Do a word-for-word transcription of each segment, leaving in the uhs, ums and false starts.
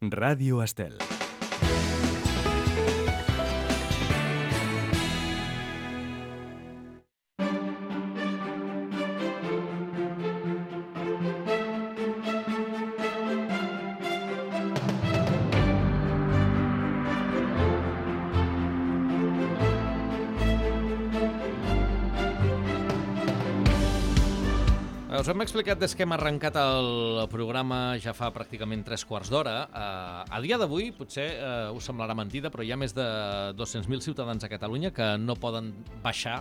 Ràdio Estel. Us hem explicat des que hem arrencat el programa ja fa pràcticament tres quarts d'hora. Uh, a dia d'avui, potser uh, us semblarà mentida, però hi ha més de dos-cents mil ciutadans a Catalunya que no poden baixar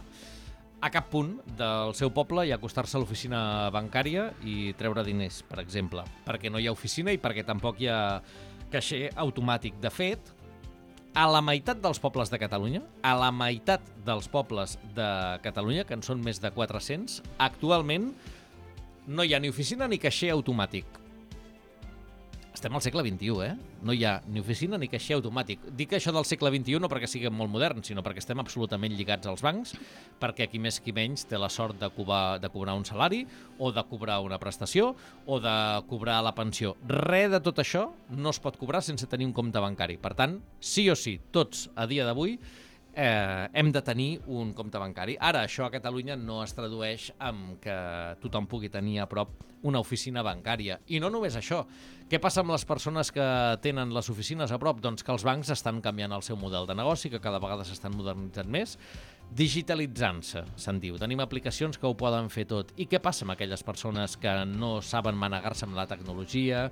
a cap punt del seu poble i acostar-se a l'oficina bancària i treure diners, per exemple, perquè no hi ha oficina i perquè tampoc hi ha caixer automàtic. De fet, a la meitat dels pobles de Catalunya, a la meitat dels pobles de Catalunya, que en són més de quatre-cents, actualment no hi ha ni oficina ni caixer automàtic. Estem al segle vint-i-u, eh? No hi ha ni oficina ni caixer automàtic. Dic això del segle vint-i-u no perquè siguem molt moderns, sinó perquè estem absolutament lligats als bancs, perquè qui més qui menys té la sort de cobrar, de cobrar un salari, o de cobrar una prestació, o de cobrar la pensió. Res de tot això no es pot cobrar sense tenir un compte bancari. Per tant, sí o sí, tots a dia d'avui Eh, hem de tenir un compte bancari. Ara, això a Catalunya no es tradueix en que tothom pugui tenir a prop una oficina bancària. I no només això. Què passa amb les persones que tenen les oficines a prop? Doncs que els bancs estan canviant el seu model de negoci, que cada vegada s'estan modernitzant més, digitalitzant-se, se'n diu. Tenim aplicacions que ho poden fer tot. I què passa amb aquelles persones que no saben manegar-se amb la tecnologia,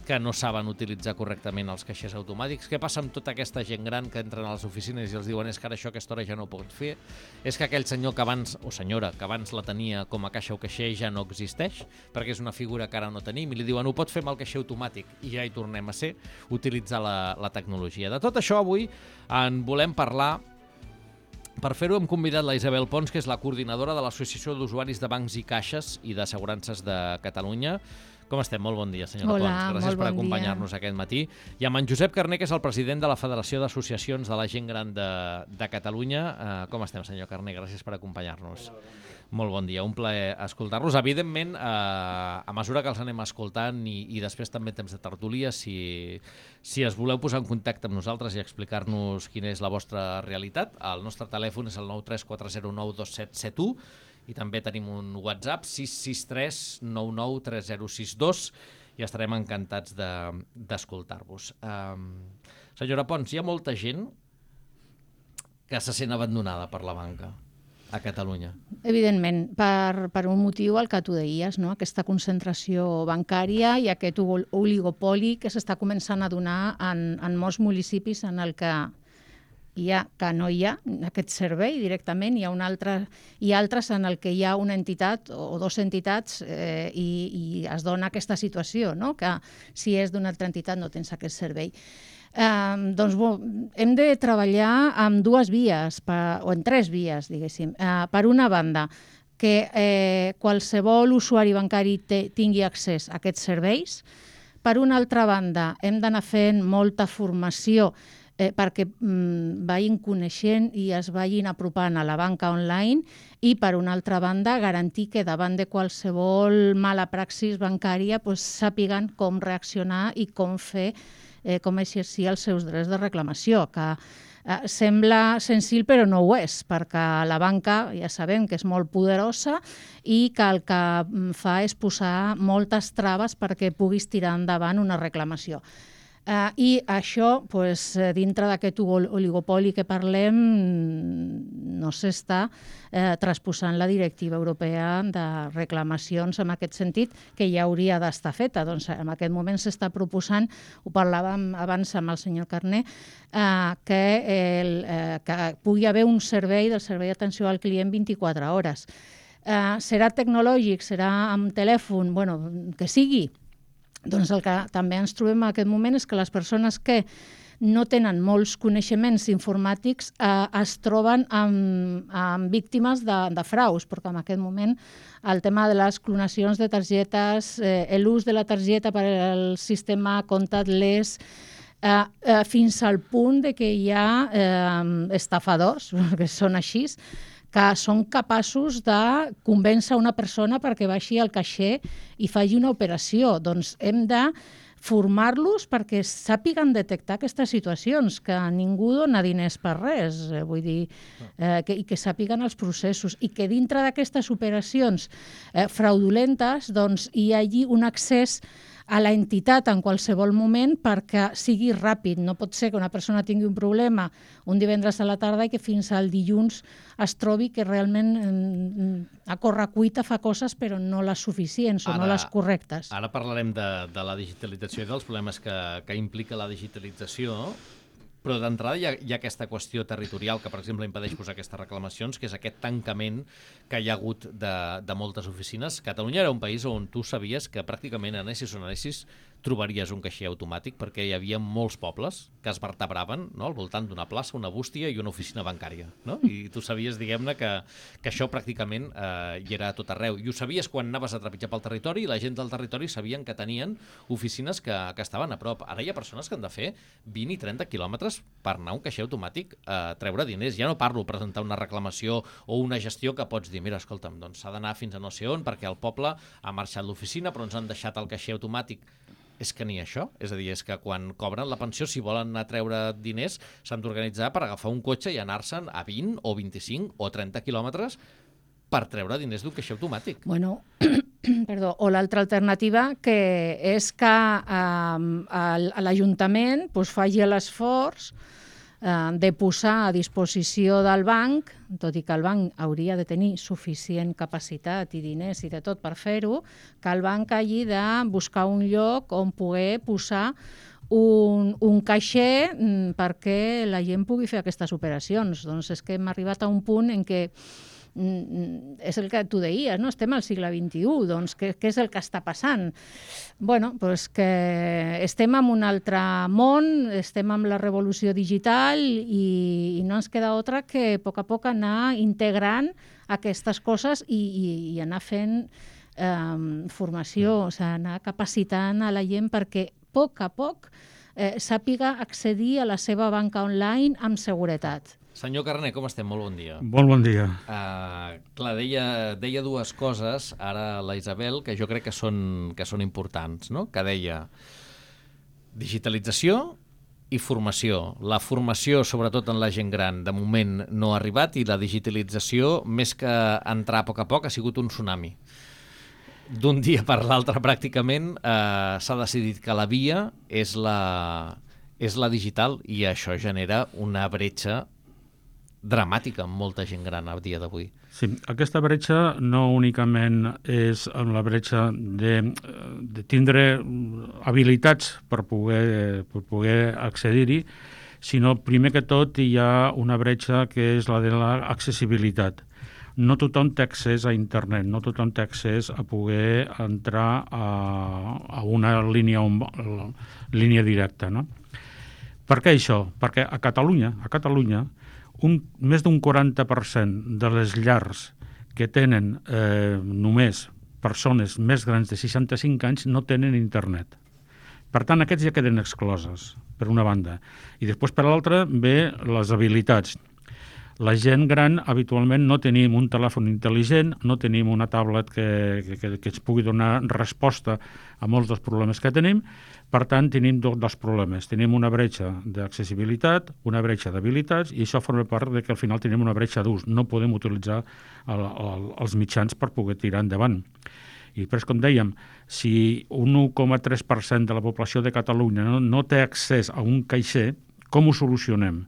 que no saben utilitzar correctament els caixers automàtics? Què passa amb tota aquesta gent gran que entren a les oficines i els diuen és que ara això a aquesta hora ja no ho pot fer? És que aquell senyor que abans, o senyora, que abans la tenia com a caixa o caixer ja no existeix, perquè és una figura que ara no tenim, i li diuen ho pot fer amb el caixer automàtic, i ja hi tornem a ser, utilitzar la, la tecnologia. De tot això avui en volem parlar. Per fer-ho hem convidat la Isabel Pons, que és la coordinadora de l'Associació d'Usuaris de Bancs i Caixes i d'Assegurances de Catalunya. Com estem? Molt bon dia, senyora Hola, Pons. Gràcies molt per bon acompanyar-nos aquest matí. I amb en Josep Carner, que és el president de la Federació d'Associacions de la Gent Gran de, de Catalunya. Uh, com estem, senyor Carner? Gràcies per acompanyar-nos. Molt bon dia, un plaer escoltar-los. Evidentment, eh, a mesura que els anem escoltant i, i després també temps de tertúlia, si, si es voleu posar en contacte amb nosaltres i explicar-nos quina és la vostra realitat, el nostre telèfon és el nou tres quatre zero nou dos set set u i també tenim un WhatsApp sis sis tres nou nou tres zero sis dos i estarem encantats de, d'escoltar-vos. Um, senyora Pons, hi ha molta gent que se sent abandonada per la banca a Catalunya. Evidentment, per, per un motiu el que tu deies, no? Aquesta concentració bancària i aquest oligopoli que s'està començant a donar en, en molts municipis en el que hi ha, que no hi ha aquest servei directament, hi ha, un altre, hi ha altres en el que hi ha una entitat o dues entitats eh, i, i es dona aquesta situació, no? Que si és d'una altra entitat no tens aquest servei. Eh, doncs bo, hem de treballar amb dues vies, per, o en tres vies, diguéssim. Eh, per una banda, que eh, qualsevol usuari bancari te, tingui accés a aquests serveis. Per una altra banda, hem d'anar fent molta formació eh, perquè mm, vagin coneixent i es vagin apropant a la banca online, i per una altra banda, garantir que davant de qualsevol mala praxis bancària pues, sàpiguen com reaccionar i com fer Eh, com exercir els seus drets de reclamació, que eh, sembla senzill però no ho és, perquè la banca ja sabem que és molt poderosa i que el que fa és posar moltes traves perquè puguis tirar endavant una reclamació. Uh, I això, pues, dintre d'aquest oligopoli que parlem, no s'està eh, transposant la directiva europea de reclamacions en aquest sentit, que ja hauria d'estar feta. Doncs en aquest moment s'està proposant, ho parlàvem abans amb el senyor Carner, eh, que, el, eh, que pugui haver un servei del servei d'atenció al client vint-i-quatre hores. Eh, serà tecnològic, serà amb telèfon, bueno, que sigui. Doncs el que també ens trobem en aquest moment és que les persones que no tenen molts coneixements informàtics eh, es troben amb, amb víctimes de, de fraus, perquè en aquest moment el tema de les clonacions de targetes, eh, l'ús de la targeta per al sistema contactless, eh, eh, fins al punt de que hi ha eh, estafadors, que són així, que són capaços de convèncer una persona perquè baixi al caixer i faci una operació. Doncs hem de formar-los perquè sàpiguen detectar aquestes situacions, que ningú dona diners per res, eh, vull dir, eh, que, i que sàpiguen els processos, i que dintre d'aquestes operacions eh, fraudulentes doncs, hi hagi un accés a la entitat en qualsevol moment perquè sigui ràpid. No pot ser que una persona tingui un problema un divendres a la tarda i que fins al dilluns es trobi que realment a correcuita fa coses però no les suficients o ara, no les correctes. Ara parlarem de, de la digitalització i dels problemes que, que implica la digitalització, però d'entrada hi, hi ha aquesta qüestió territorial que, per exemple, impedeix posar aquestes reclamacions, que és aquest tancament que hi ha hagut de, de moltes oficines. Catalunya era un país on tu sabies que pràcticament anessis o no anessis trobaries un caixer automàtic perquè hi havia molts pobles que es vertebraven, no?, al voltant d'una plaça, una bústia i una oficina bancària, no? I tu sabies, diguem-ne, que, que això pràcticament eh, hi era a tot arreu. I ho sabies quan anaves a trepitjar pel territori i la gent del territori sabien que tenien oficines que, que estaven a prop. Ara hi ha persones que han de fer vint i trenta quilòmetres per anar a un caixer automàtic a treure diners. Ja no parlo presentar una reclamació o una gestió que pots dir, mira, escolta'm, doncs s'ha d'anar fins a no sé on perquè el poble ha marxat l'oficina però ens han deixat el caixer automàtic. És que ni això, és a dir, és que quan cobren la pensió, si volen anar a treure diners, s'han d'organitzar per agafar un cotxe i anar-se'n a vint o vint-i-cinc o trenta quilòmetres per treure diners d'un caixer automàtic. Bueno, perdó, o l'altra alternativa que és que eh, l'Ajuntament pues, faci l'esforç eh, de posar a disposició del banc, tot i que el banc hauria de tenir suficient capacitat i diners i de tot per fer-ho, que el banc hagi de buscar un lloc on poder posar un, un caixer mm, perquè la gent pugui fer aquestes operacions. Doncs és que hem arribat a un punt en què és el que tu deies, no? Estem al segle vint-i-u, doncs què, què és el que està passant? Bueno, doncs que estem en un altre món, estem en la revolució digital i, i no ens queda altra que a poc a poc anar integrant aquestes coses i, i, i anar fent eh, formació, o sigui, anar capacitant a la gent perquè a poc a poc eh, sàpiga accedir a la seva banca online amb seguretat. Senyor Carner, com estem? Molt bon dia. Molt bon dia. Uh, clar, deia, deia dues coses, ara la Isabel, que jo crec que són, que són importants, no? Que deia digitalització i formació. La formació, sobretot en la gent gran, de moment no ha arribat i la digitalització, més que entrar a poc a poc, ha sigut un tsunami. D'un dia per l'altre, pràcticament, eh, s'ha decidit que la via és la, és la digital i això genera una bretxa dramàtica amb molta gent gran a dia d'avui. Sí, aquesta bretxa no únicament és la bretxa de, de tindre habilitats per poder, per poder accedir-hi, sinó primer que tot hi ha una bretxa que és la de l'accessibilitat. No tothom té accés a internet, no tothom té accés a poder entrar a, a una línia, un, línia directa, no? Per què això? Perquè a Catalunya, a Catalunya Un, més d'un quaranta per cent de les llars que tenen eh, només persones més grans de seixanta-cinc anys no tenen internet. Per tant, aquests ja queden excloses, per una banda. I després, per l'altra, ve les habilitats. La gent gran, habitualment, no tenim un telèfon intel·ligent, no tenim una tablet que, que, que ens pugui donar resposta a molts dels problemes que tenim. Per tant, tenim dos problemes. Tenim una bretxa d'accessibilitat, una bretxa d'habilitats, i això forma part de que al final tenim una bretxa d'ús. No podem utilitzar el, el, els mitjans per poder tirar endavant. I després, com dèiem, si un un coma tres per cent de la població de Catalunya no, no té accés a un caixer, com ho solucionem?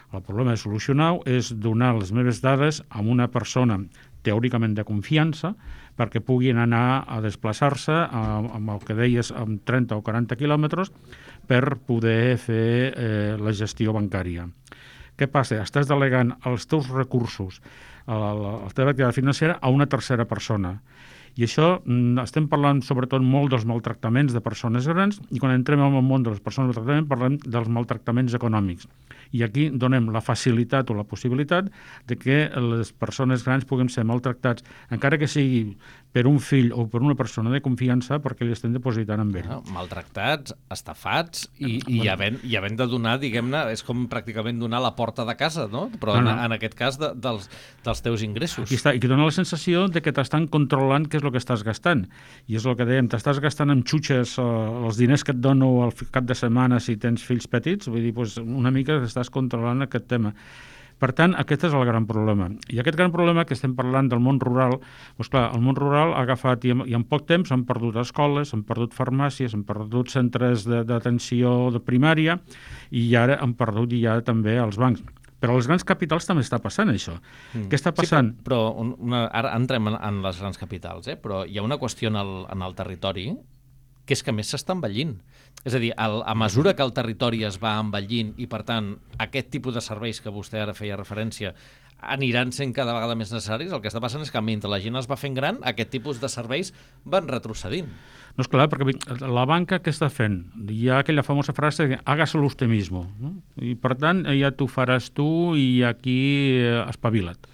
El problema de solucionar-ho és donar les meves dades a una persona teòricament de confiança perquè puguin anar a desplaçar-se amb el que deies, amb trenta o quaranta quilòmetres per poder fer eh, la gestió bancària. Què passa? Estàs delegant els teus recursos, la teva activitat financera, a una tercera persona. I això, estem parlant sobretot molt dels maltractaments de persones grans i quan entrem en el món de les persones maltractaments parlem dels maltractaments econòmics. I aquí donem la facilitat o la possibilitat de que les persones grans puguin ser maltractats, encara que sigui per un fill o per una persona de confiança perquè li estem depositant amb ell. Ah, maltractats, estafats i, i, bueno. havent, i havent de donar, diguem-ne, és com pràcticament donar la porta de casa, no? Però no, no. En, en aquest cas de, dels, dels teus ingressos. Aquí està, i que dona la sensació de que t'estan controlant què és el que estàs gastant. I és el que dèiem, t'estàs gastant en xutxes eh, els diners que et dono al cap de setmana si tens fills petits, vull dir, doncs una mica estàs controlant aquest tema. Per tant, aquest és el gran problema. I aquest gran problema que estem parlant del món rural, doncs clar, el món rural ha agafat, i en, i en poc temps han perdut escoles, han perdut farmàcies, han perdut centres d'atenció de, de primària i ara han perdut ja també els bancs. Però als grans capitals també està passant això. Mm. Què està passant? Sí, però però una, ara entrem en, en les grans capitals, eh? Però hi ha una qüestió en el, en el territori que és que més s'està envellint. És a dir, el, a mesura que el territori es va envellint i, per tant, aquest tipus de serveis que vostè ara feia referència aniran sent cada vegada més necessaris, el que està passant és que mentre la gent es va fent gran, aquest tipus de serveis van retrocedint. No, és clar, perquè la banca què està fent? Hi ha aquella famosa frase que hágaselo usted mismo, no? I per tant ja t'ho faràs tu i aquí espavila't.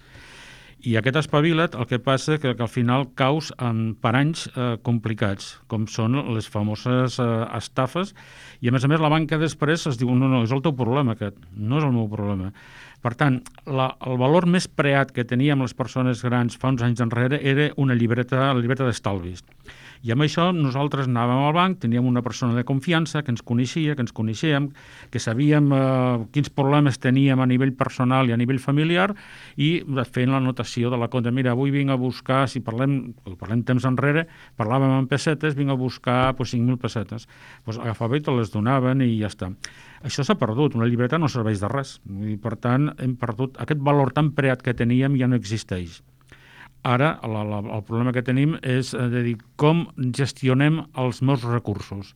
I aquest espavila't el que passa que, que al final caus en paranys eh, complicats, com són les famoses eh, estafes, i a més a més la banca després es diu no, no, és el teu problema aquest, no és el meu problema. Per tant, la, el valor més preat que teníem les persones grans fa uns anys enrere era una llibreta, la llibreta d'estalvis. I amb això nosaltres anàvem al banc, teníem una persona de confiança que ens coneixia, que ens coneixíem, que sabíem eh, quins problemes teníem a nivell personal i a nivell familiar i fent l'anotació de la compte. Mira, avui vinc a buscar, si parlem, parlem temps enrere, parlàvem en pessetes, vinc a buscar pues, cinc mil pessetes. Pues, agafava i te les donaven i ja està. Això s'ha perdut, una llibreta no serveix de res. I, per tant, hem perdut aquest valor tan preat que teníem ja no existeix. Ara, la, la, el problema que tenim és de dir com gestionem els meus recursos.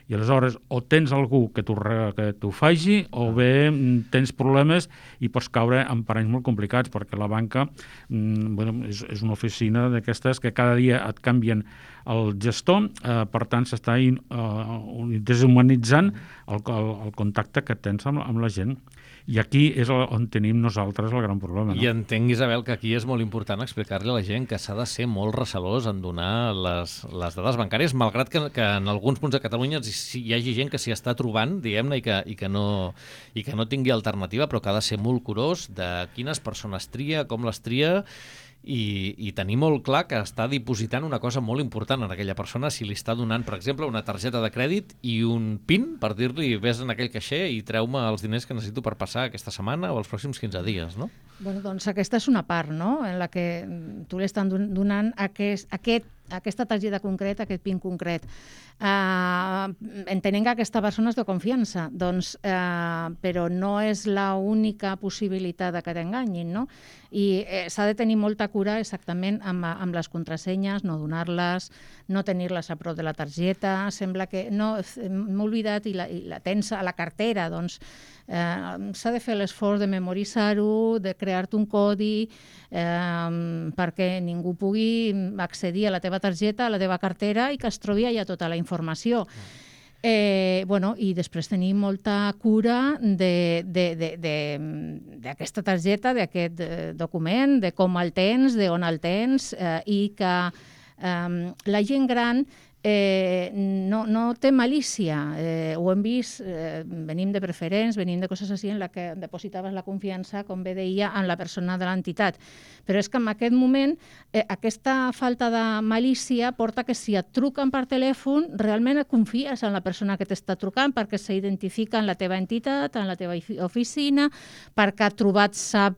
I aleshores, o tens algú que t'ho que t'ho faci, o bé tens problemes i pots caure en paranys molt complicats, perquè la banca mm, bueno, és, és una oficina d'aquestes que cada dia et canvien el gestor, eh, per tant s'està in, uh, deshumanitzant el, el, el contacte que tens amb, amb la gent. I aquí és on tenim nosaltres el gran problema. No? I entenc, Isabel, que aquí és molt important explicar-li a la gent que s'ha de ser molt recelós en donar les, les dades bancàries, malgrat que, que en alguns punts de Catalunya hi hagi gent que s'hi està trobant, diguem-ne, i, que, i, que no, i que no tingui alternativa, però que ha de ser molt curós de quines persones tria, com les tria, I, i tenir molt clar que està dipositant una cosa molt important en aquella persona si li està donant, per exemple, una targeta de crèdit i un PIN per dir-li vés en aquell caixer i treu-me els diners que necessito per passar aquesta setmana o els pròxims quinze dies, no? Bueno, doncs aquesta és una part, no?, en la que tu li estan donant aquest, aquest aquesta targeta concreta, aquest PIN concret. Uh, entenent que aquesta persona és de confiança, doncs, uh, però no és l'única possibilitat que t'enganyin, no? I eh, s'ha de tenir molta cura exactament amb, amb les contrasenyes, no donar-les, no tenir-les a prop de la targeta, sembla que no, m'he oblidat i la, i la tens a la cartera, doncs eh, s'ha de fer l'esforç de memoritzar-ho, de crear-te un codi eh, perquè ningú pugui accedir a la teva targeta, a la teva cartera i que es trobi allà tota la informació. Eh, bueno, i després tenir molta cura d'aquesta targeta, d'aquest document, de com el tens, d'on el tens, eh, i que eh, la gent gran eh, no, no té malícia. Eh, ho hem vist, eh, venim de preferents, venim de coses així en la que depositaves la confiança, com bé deia, en la persona de l'entitat. Però és que en aquest moment eh, aquesta falta de malícia porta que si et truquen per telèfon realment et confies en la persona que t'està trucant perquè s'identifica en la teva entitat, en la teva oficina, perquè ha trobat sap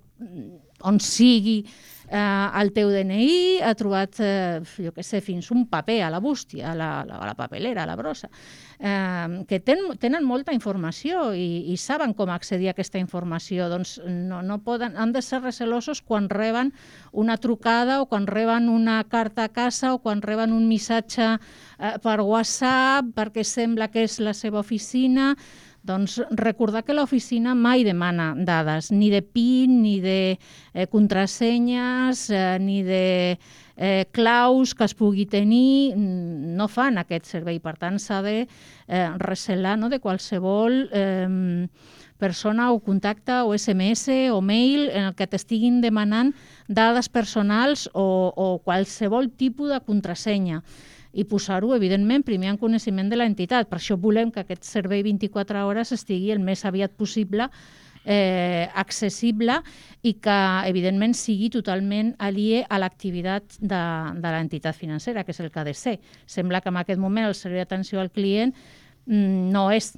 on sigui eh, el teu D N I, ha trobat, eh, jo què sé, fins un paper a la bústia, a la, a la papelera, a la brossa, eh, que ten, tenen molta informació i, i saben com accedir a aquesta informació. Doncs no, no poden, han de ser recelosos quan reben una trucada o quan reben una carta a casa o quan reben un missatge eh, per WhatsApp perquè sembla que és la seva oficina. Doncs recordar que l'oficina mai demana dades, ni de PIN, ni de eh, contrasenyes, eh, ni de eh, claus que es pugui tenir, no fan aquest servei. Per tant, s'ha de eh, recelar, no?, de qualsevol eh, persona o contacte o S M S o mail en el que t'estiguin demanant dades personals o, o qualsevol tipus de contrasenya i posar-ho, evidentment, primer en coneixement de l'entitat. Per això volem que aquest servei vint-i-quatre hores estigui el més aviat possible eh, accessible i que, evidentment, sigui totalment aliè a l'activitat de, de l'entitat financera, que és el que ha de ser. Sembla que en aquest moment el servei d'atenció al client mm, no és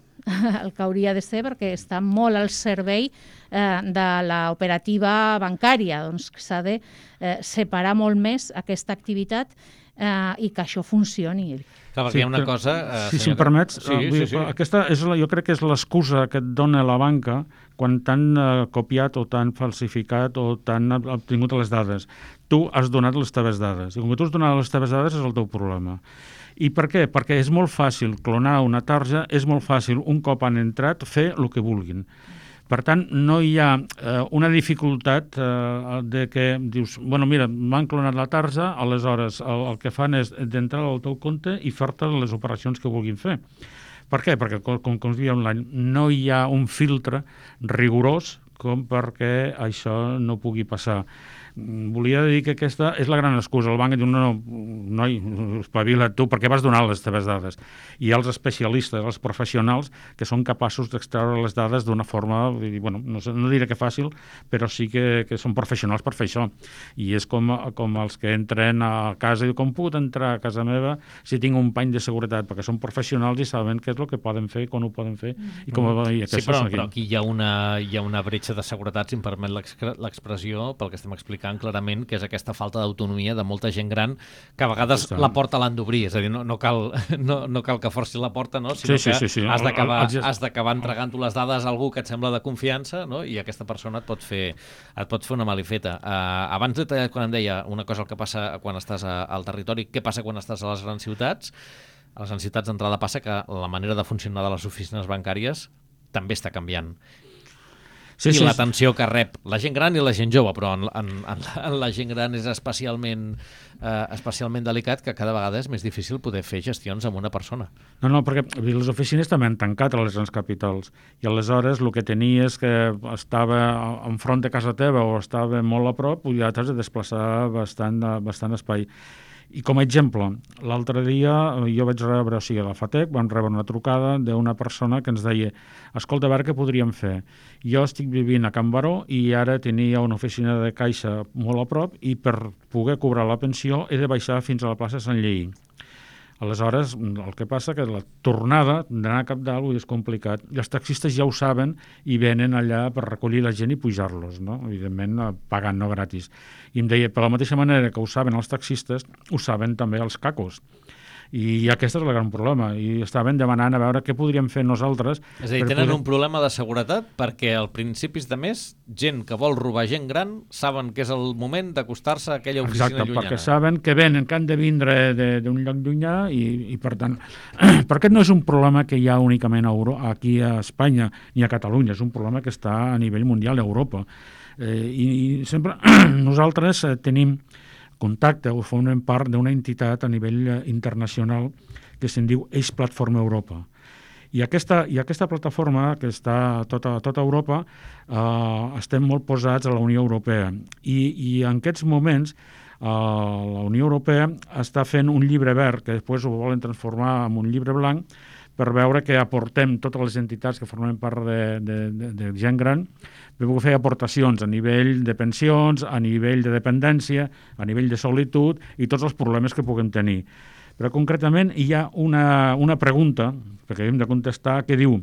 el que hauria de ser perquè està molt al servei eh, de l'operativa bancària. Doncs s'ha de eh, separar molt més aquesta activitat eh, i que això funcioni. Clar, perquè sí, hi ha una cosa... Eh, si, si em permets, sí, sí, sí. aquesta és la, jo crec que és l'excusa que et dona la banca quan t'han eh, copiat o t'han falsificat o t'han obtingut les dades. Tu has donat les teves dades. I com que tu has donat les teves dades és el teu problema. I per què? Perquè és molt fàcil clonar una tarja, és molt fàcil, un cop han entrat, fer el que vulguin. Per tant, no hi ha eh, una dificultat eh, de que dius, bueno, mira, m'han clonat la tarja, aleshores el, el que fan és d'entrar al teu compte i fer-te les operacions que vulguin fer. Per què? Perquè, com, com es diu online, no hi ha un filtre rigorós com perquè això no pugui passar. Volia dir que aquesta és la gran excusa. El banc diu, no, no, noi, espavila't tu, perquè vas donar les teves dades. I els especialistes, els professionals, que són capaços d'extreure les dades d'una forma, bueno, no, sé, no diré que fàcil, però sí que, que són professionals per fer això. I és com, com els que entren a casa i diuen, com puc entrar a casa meva si tinc un pany de seguretat? Perquè són professionals i saben què és el que poden fer, quan ho poden fer. I com, i sí, però, però aquí hi ha, una, hi ha una bretxa de seguretat, si em permet l'expressió, pel que estem explicant clarament, que és aquesta falta d'autonomia de molta gent gran que a vegades Està. la porta l'han d'obrir, és a dir, no, no, cal, no, no cal que forcis la porta, no? Sinó sí, sí, sí, sí. que has d'acabar has d'acabar entregant-ho les dades a algú que et sembla de confiança, no? I aquesta persona et pot fer, et pot fer una malifeta. Uh, abans de tallar, quan em deia una cosa el que passa quan estàs a, al territori, què passa quan estàs a les grans ciutats? A les grans ciutats d'entrada passa que la manera de funcionar de les oficines bancàries també està canviant. Sí, i sí, l'atenció que rep la gent gran i la gent jove, però en, en, en, la, en la gent gran és especialment, eh, especialment delicat, que cada vegada és més difícil poder fer gestions amb una persona. No, no, perquè les oficines també han tancat a les grans capitals i aleshores el que tenies que estava enfront de casa teva o estava molt a prop, ja t'has de desplaçar bastant, bastant espai. I com a exemple, l'altre dia jo vaig rebre, o sigui, a la FATEC, vam rebre una trucada d'una persona que ens deia, escolta, a veure què podríem fer. Jo estic vivint a Can Baró i ara tenia una oficina de caixa molt a prop i per poder cobrar la pensió he de baixar fins a la plaça Sant Lleí. Aleshores, el que passa que la tornada d'anar a Cap d'Alt és complicat. I els taxistes ja ho saben i venen allà per recollir la gent i pujar-los, no? Evidentment, pagant, no gratis. I em deia, per la mateixa manera que ho saben els taxistes, ho saben també els cacos. I aquest és el gran problema. I estaven demanant a veure què podríem fer nosaltres. És a dir, tenen poder... un problema de seguretat perquè al principis de mes, gent que vol robar gent gran, saben que és el moment d'acostar-se a aquella oficina Exacte, llunyana. Perquè saben que venen, que han de vindre d'un lloc llunyà i, i per tant, perquè no és un problema que hi ha únicament a Euro, aquí a Espanya ni a Catalunya, és un problema que està a nivell mundial a Europa. Eh, i, I sempre nosaltres eh, tenim contacte o formem part d'una entitat a nivell internacional que se'n diu Eix Platforma Europa. I aquesta, i aquesta plataforma, que està a tota, a tota Europa, eh, estem molt posats a la Unió Europea. I, i en aquests moments eh, la Unió Europea està fent un llibre verd, que després ho volen transformar en un llibre blanc, per veure que aportem totes les entitats que formem part de, de, de, de gent gran, per poder fer aportacions a nivell de pensions, a nivell de dependència, a nivell de solitud i tots els problemes que puguem tenir. Però concretament hi ha una, una pregunta, que hem de contestar, que diu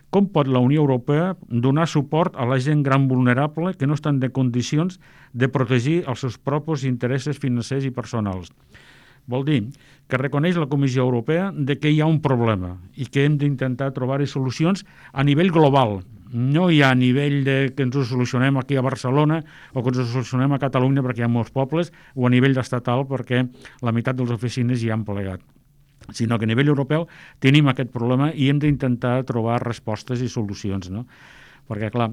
com pot la Unió Europea donar suport a la gent gran vulnerable que no estan de condicions de protegir els seus propis interessos financers i personals? Vol dir que reconeix la Comissió Europea de que hi ha un problema i que hem d'intentar trobar-hi solucions a nivell global. No hi ha a nivell de que ens ho solucionem aquí a Barcelona o que ens ho solucionem a Catalunya perquè hi ha molts pobles o a nivell estatal perquè la meitat de les oficines hi han plegat, sinó que a nivell europeu tenim aquest problema i hem d'intentar trobar respostes i solucions, no? Perquè, clar,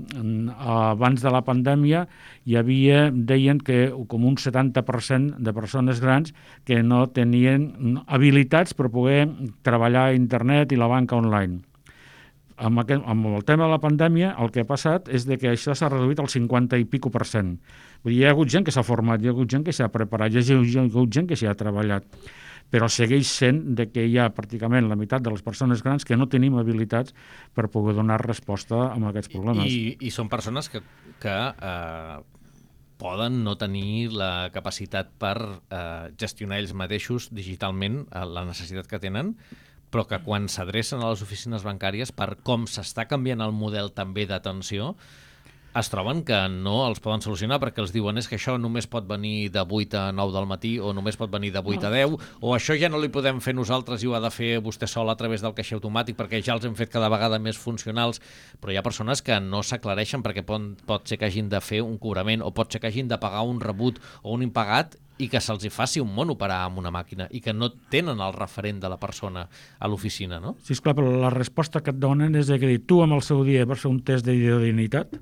abans de la pandèmia hi havia, deien que com un setanta per cent de persones grans que no tenien habilitats per poder treballar a internet i la banca online. amb, aquest, amb el tema de la pandèmia, el que ha passat és de que això s'ha reduït al cinquanta i pico per cent. Vull dir, hi ha hagut gent que s'ha format, hi ha hagut gent que s'ha preparat, hi ha hagut gent que s'hi ha treballat, però segueix sent de que hi ha pràcticament la meitat de les persones grans que no tenim habilitats per poder donar resposta a aquests problemes. I, i són persones que, que eh, poden no tenir la capacitat per eh, gestionar ells mateixos digitalment eh, la necessitat que tenen, però que quan s'adrecen a les oficines bancàries per com s'està canviant el model també d'atenció, es troben que no els poden solucionar perquè els diuen és que això només pot venir de vuit a nou del matí o només pot venir de vuit a deu o això ja no li podem fer nosaltres i ho ha de fer vostè sol a través del caixer automàtic perquè ja els hem fet cada vegada més funcionals, però hi ha persones que no s'aclareixen perquè pot, pot ser que hagin de fer un cobrament o pot ser que hagin de pagar un rebut o un impagat i que se'ls hi faci un món operar amb una màquina i que no tenen el referent de la persona a l'oficina, no? Sí, esclar, però la resposta que et donen és que tu amb el seu dia vas fer un test d'identitat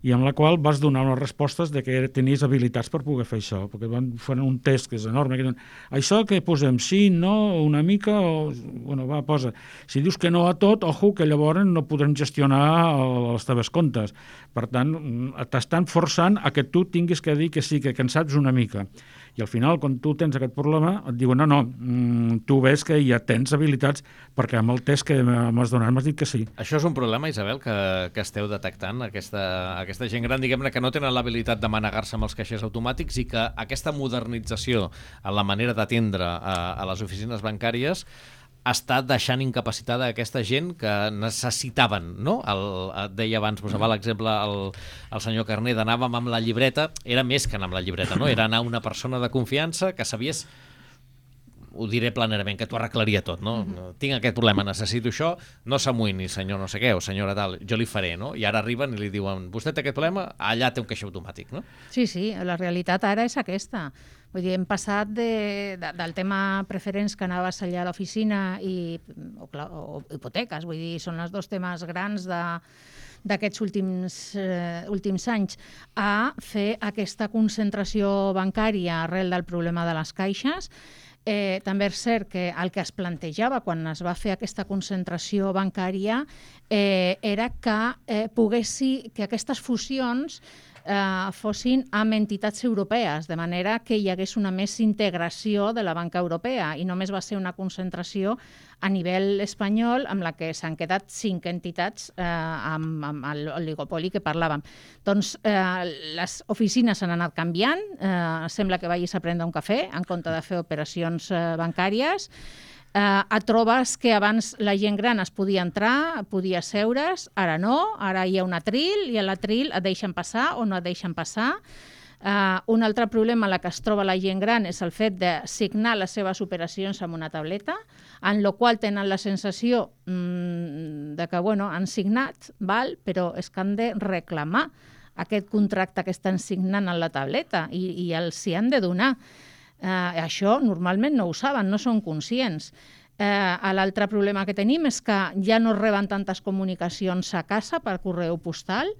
i amb la qual vas donar unes respostes de que tenies habilitats per poder fer això, perquè van fer un test que és enorme, que diuen, això que posem, sí, no, una mica, o, bueno, va, posa. Si dius que no a tot, ojo, que llavors no podrem gestionar els teves comptes. Per tant, t'estan forçant a que tu tinguis que dir que sí, que en saps una mica. I al final, quan tu tens aquest problema, et diuen, no, no, tu ves que ja tens habilitats, perquè amb el test que m'has donat m'has dit que sí. Això és un problema, Isabel, que, que esteu detectant, aquesta, aquesta gent gran, diguem-ne, que no tenen l'habilitat de manegar-se amb els caixers automàtics i que aquesta modernització en la manera d'atendre a, a les oficines bancàries està deixant incapacitada aquesta gent que necessitaven, no? El, et deia abans, posava l'exemple el, el senyor Carner, d'anàvem amb la llibreta, era més que anar amb la llibreta, no? Era anar una persona de confiança que sabies, ho diré planerament, que t'ho arreglaria tot, no? Mm-hmm. Tinc aquest problema, necessito això, no s'amoïni, senyor no sé què, o senyora tal, jo li faré, no? I ara arriben i li diuen, vostè té aquest problema, allà té un caixer automàtic, no? Sí, sí, la realitat ara és aquesta. Vull dir, hem passat de, de, del tema preferents que anaves allà a l'oficina i, o, o hipoteques, vull dir, són els dos temes grans de d'aquests últims, eh, últims anys, a fer aquesta concentració bancària arrel del problema de les caixes. Eh, també és cert que el que es plantejava quan es va fer aquesta concentració bancària eh, era que eh, poguessi, que aquestes fusions eh, fossin amb entitats europees, de manera que hi hagués una més integració de la banca europea i només va ser una concentració a nivell espanyol amb la que s'han quedat cinc entitats eh, amb, amb l'oligopoli que parlàvem. Doncs eh, les oficines s'han anat canviant, eh, sembla que vagis a prendre un cafè en compte de fer operacions eh, bancàries. Eh, et trobes que abans la gent gran es podia entrar, podia seure's, ara no, ara hi ha un atril i a l'atril et deixen passar o no et deixen passar. Uh, un altre problema en la que es troba la gent gran és el fet de signar les seves operacions amb una tableta, en la qual tenen la sensació mmm, de que bueno, han signat, val, però és que han de reclamar aquest contracte que estan signant en la tableta i, i els hi han de donar. Uh, això normalment no ho saben, no són conscients. Eh, L'altre problema que tenim és que ja no reben tantes comunicacions a casa per correu postal.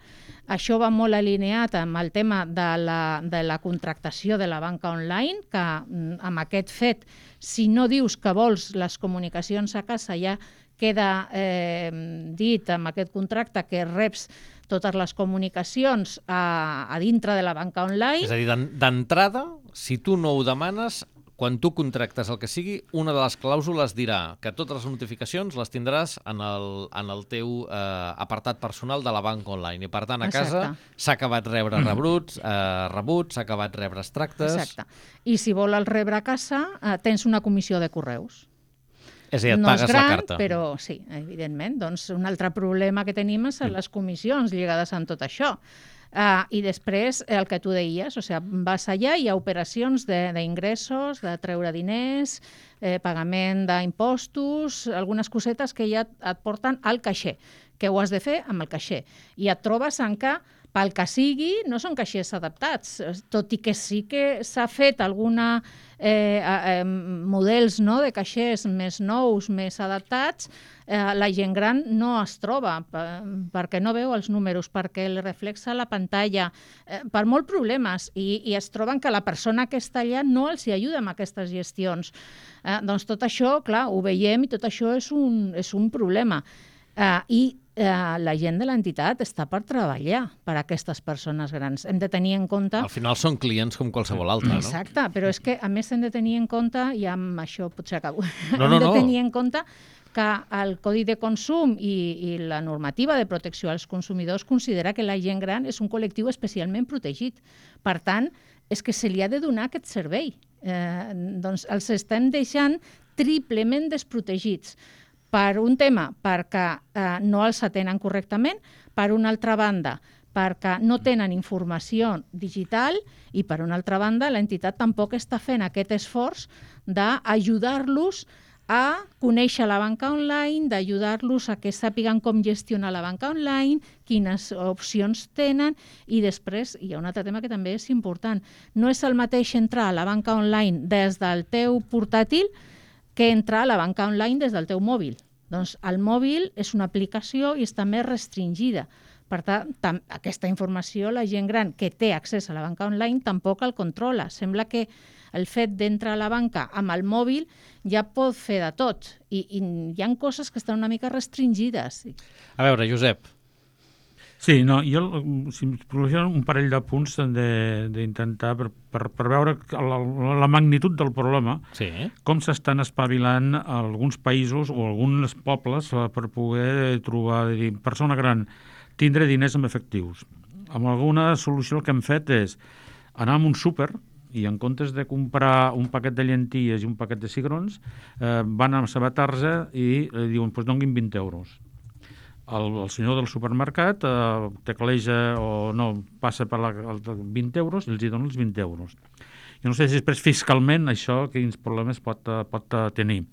Això va molt alineat amb el tema de la, de la contractació de la banca online, que amb aquest fet, si no dius que vols les comunicacions a casa, ja queda eh, dit amb aquest contracte que reps totes les comunicacions a, a dintre de la banca online. És a dir, d'entrada, si tu no ho demanes, quan tu contractes el que sigui, una de les clàusules dirà que totes les notificacions les tindràs en el, en el teu eh, apartat personal de la banca online. I per tant, a casa s'ha acabat rebre rebruts, eh, rebuts, s'ha acabat rebre extractes... Exacte. I si vol el rebre a casa, eh, tens una comissió de correus. És a dir, et no pagues és gran, la carta. Però sí, evidentment. Doncs un altre problema que tenim és les comissions lligades amb tot això. Uh, I després, el que tu deies, o sigui, vas allà, hi ha operacions d'ingressos, de, de treure diners, eh, pagament d'impostos, algunes cosetes que ja et porten al caixer, que ho has de fer amb el caixer. I et trobes en que, pel que sigui, no són caixers adaptats, tot i que sí que s'ha fet alguna eh, eh, models no, de caixers més nous, més adaptats, eh, la gent gran no es troba perquè no veu els números, perquè li reflexa la pantalla, eh, per molts problemes, i, i es troben que la persona que està allà no els hi ajuda amb aquestes gestions. Eh, doncs tot això, clar, ho veiem i tot això és un, és un problema. Uh, I uh, la gent de l'entitat està per treballar per a aquestes persones grans. Hem de tenir en compte... Al final són clients com qualsevol altre, no? Exacte, però és que a més hem de tenir en compte, i amb això potser acabo, no, hem no, de no. tenir en compte que el Codi de Consum i, i la normativa de protecció als consumidors considera que la gent gran és un col·lectiu especialment protegit. Per tant, és que se li ha de donar aquest servei. Eh, doncs els estem deixant triplement desprotegits. Per un tema, perquè eh, no els atenen correctament, per una altra banda, perquè no tenen informació digital i, per una altra banda, l'entitat tampoc està fent aquest esforç d'ajudar-los a conèixer la banca online, d'ajudar-los a que sàpiguen com gestionar la banca online, quines opcions tenen, i després hi ha un altre tema que també és important. No és el mateix entrar a la banca online des del teu portàtil que entrar a la banca online des del teu mòbil. Doncs el mòbil és una aplicació i està més restringida. Per tant, tam- aquesta informació la gent gran que té accés a la banca online tampoc el controla. Sembla que el fet d'entrar a la banca amb el mòbil ja pot fer de tot. I, i hi ha coses que estan una mica restringides. A veure, Josep. Sí, no, jo, si em proporcionen un parell de punts d'intentar, per, per, per veure la, la magnitud del problema, Sí. com s'estan espavilant alguns països o alguns pobles per poder trobar, dir, persona gran, tindre diners en efectius. Amb alguna solució el que hem fet és anar a un súper i en comptes de comprar un paquet de llenties i un paquet de cigrons, eh, van a la seva tarja i eh, diuen, doncs donguin vint euros. El, el senyor del supermercat eh, tecleja o no, passa per la, el, vint euros i els hi dona els vint euros. Jo no sé si després fiscalment això quins problemes pot, pot tenir.